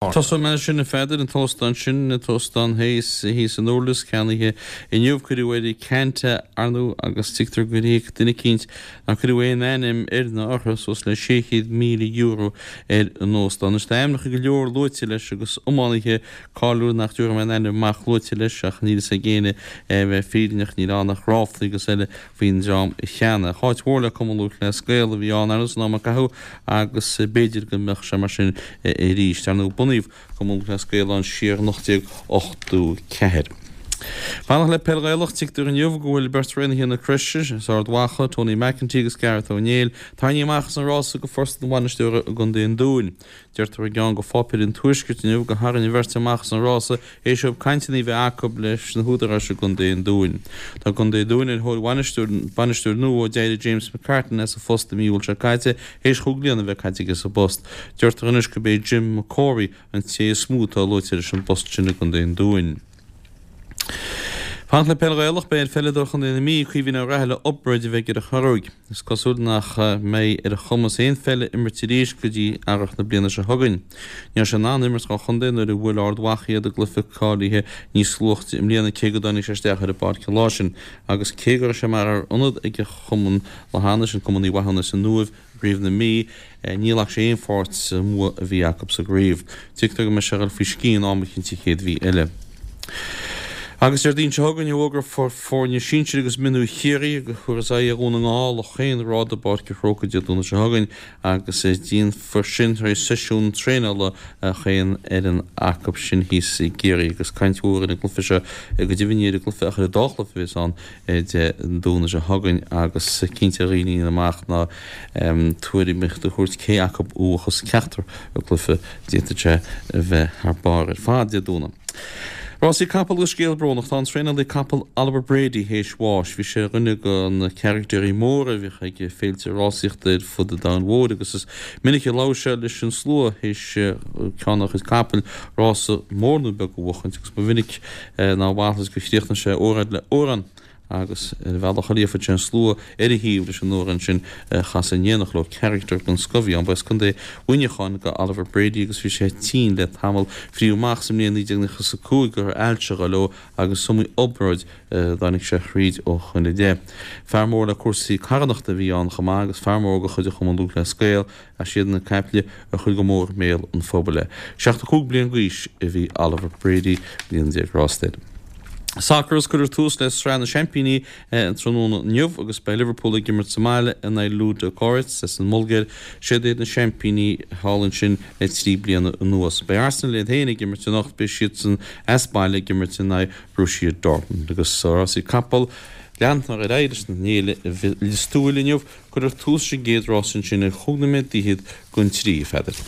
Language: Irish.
Tosóidh mé leis sin, a Pheadair, an t-óstán sin, an t-óstán thíos, thíos i nDurlas, ceannaithe inniu, cuireadh air Canta, ar ndóigh, agus tuigtear gur íoc duine eicínt nár cuireadh aon ainm air ná orthu, suas le €600,000 ar an óstán. Anois tá ainmneacha go leor luaite leis agus iománaithe cáiliúla nach dtabharfaidh mé a n-ainm amach luaite leis ach níl fhios ag éinne é a bheith fírinneach, níl ann ach ráflaí agus eile faoin dream a cheannaigh. Áit mhór le Cumann Lúthchleas Gael a bhí ann ar ndóigh san am a caitheadh agus b'fhéidir go mbeadh sé mar sin arís. Ar ndóigh bunaíodh Cumann Lúthchleas Gael ann siar in 1884. Fanacht le Peil Ghaelach, tuigtear inniu go bhfuil beirt thraenaithe na Croise as Ard Mhacha, Tony McEntee agus Gareth Ó Néill, tarraingthe amach as an rása go phost an bhainisteora i gContae an Dúin. Deirtear i gceann de pháipéirí an Tuaiscirt inniu gur tharraing an bheirt amach as an rása théis dóibh cainteanna a bheith acu leis na húdaráis i gContae an Dúin. Tá Contae an Dúin ar thóir bhainisteoir nua ó d'éirigh James McCartan as a phost i mí Iúil seo caite théis chúig bliana a bheith caite aige sa bpost. Deirtear anois gurb é Jim McCorry an té is mó atá luaite leis an bpost sin i gContae an Dúin. Fanacht le Peil Ghaelach, beidh ar pheileadóir Chontae na Mí, Caoimhín Ó Raghallaigh, obráid a bheidh ar a chorróig. Is cosúil nach mbeidh ar a chumas aon pheil a imirt arís go dtí earrach na bliana seo chugainn. Ní raibh sé in ann imirt dhá chontae nuair a bhuail Ard Mhacha iad i gcluiche cáilithe níos luaithe i mbliana cé go dtáinig sé isteach ar an bpáirc an lá sin agus cé go raibh sé mar fhear ionad ag a chumann Lathanais, an Cumann Uí Mhathúna sa Uaimh, i gCraobh na Mí, ní ghlac sé aon pháirt sa mbua a bhí acu sa gcraobh. Tuigtear go mbeidh sé ag dul faoi scian am eicínt sa chéad mhí eile. Agus Déardaoin seo chugainn, a fhógrófar foirne sinsir agus mionúir Chiarraí a thabharfas aghaidh ar Dhún na nGall chaon ghrád i bPáirc an Chrócaigh Dé Domhnaigh seo chugainn agus déanfar sin tar éis seisiún traenála chaon fhoireann acu sin thíos i gCiarraí agus caint mhór ar an gcluiche seo, go deimhin ní ar an gcluiche ach ar an dá chluiche a bheas ann. Dé Domhnaigh seo chugainn agus cinnte a dhaoine amach ná tuairim a thabhairt cé acu a bhuafas ceachtar cluiche d'fhéadfadh sé a bheith thar barr ar fad Dé Domhnaigh. Rásaí capall agus scéal brónach. Tá an traenálaí capall Oliver Brady théis bháis. Bhí sé ar dhuine de na caractéirí móra a bhíodh ag féilte rásaíochta ar fud an domhain mhóir agus is minic a labhair sé leis an slua théis ceann dá chuid capaill rása mór nó beag a bhuachaint agus ba mhinic ná mhalairt gur chríochnaigh sé óráid le amhrán agus ar a bhealach a líomhfaidh sé an slua ar a thaobh leis an amhrán sin a chasadh in éineacht leo. Carachtar den scoth a bhí ann. Ba as Contae Mhuineacháin do Oliver Brady agus bhí sé tinn le tamall. Frítheadh amach sa mbliain 1995 go raibh ailse ag dul leo agus is iomaí obráid a dtáinig sé thríd ó shoin i leith. Fear mór le cúrsaí carthanachta a bhí ann chomh maith agus fear mór de chuid an Chumann Lúthchleas Gael Is iad na caiple a chuir go mór i mbéal an phobail é. 75 bliain d'aois a bhí Oliver Brady bliain grásta air. Sacar agus cuirfear tús le Sraith na Seaimpíní an tráthnóna inniu agus beidh Liverpool ag imirt sa mbaile in aghaidh Ludogorets as an mBulgáir. Siad iad na seaimpíní thall ansin le 3 bliana anuas. Beidh Arsenal iad féin ag imirt anocht, beidh siadsan as baile ag imirt in aghaidh Borussia Dortmund. Agus rásaí capall, leanfar ar aghaidh leis an fhéile i Lios Tuathail inniu. Cuirfear tús leis an gcéad rás ansin ar chúig nóiméad d'fhichead don trí, a Pheadair.